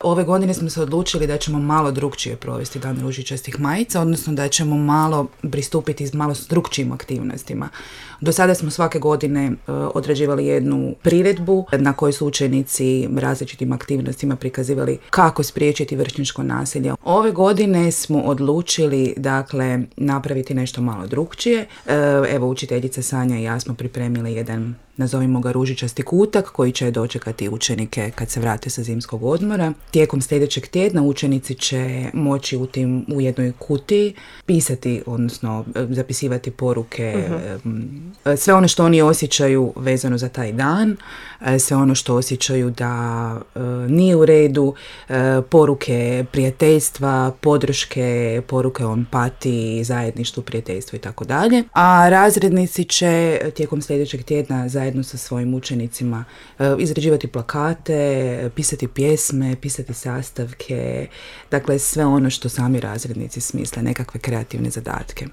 Ove godine smo se odlučili da ćemo malo drukčije provesti Dan ružičastih majica, odnosno da ćemo malo pristupiti s malo drukčijim aktivnostima. Do sada smo svake godine odrađivali jednu priredbu na kojoj su učenici različitim aktivnostima prikazivali kako spriječiti vršnjačko nasilje. Ove godine smo odlučili dakle napraviti nešto malo drukčije. Evo, učiteljica Sanja i ja smo pripremili jedan, nazovimo ga, ružičasti kutak koji će dočekati učenike kad se vrate sa zimskog odmora. Tijekom sljedećeg tjedna učenici će moći u jednoj kutiji pisati, odnosno zapisivati poruke, sve ono što oni osjećaju vezano za taj dan, sve ono što osjećaju da nije u redu, poruke prijateljstva, podrške, poruke o empatiji, zajedništvu, prijateljstvu i tako dalje. A razrednici će tijekom sljedećeg tjedna zajedno sa svojim učenicima izrađivati plakate, pisati pjesme, pisati sastavke, dakle sve ono što sami razrednici smisle, nekakve kreativne zadatke.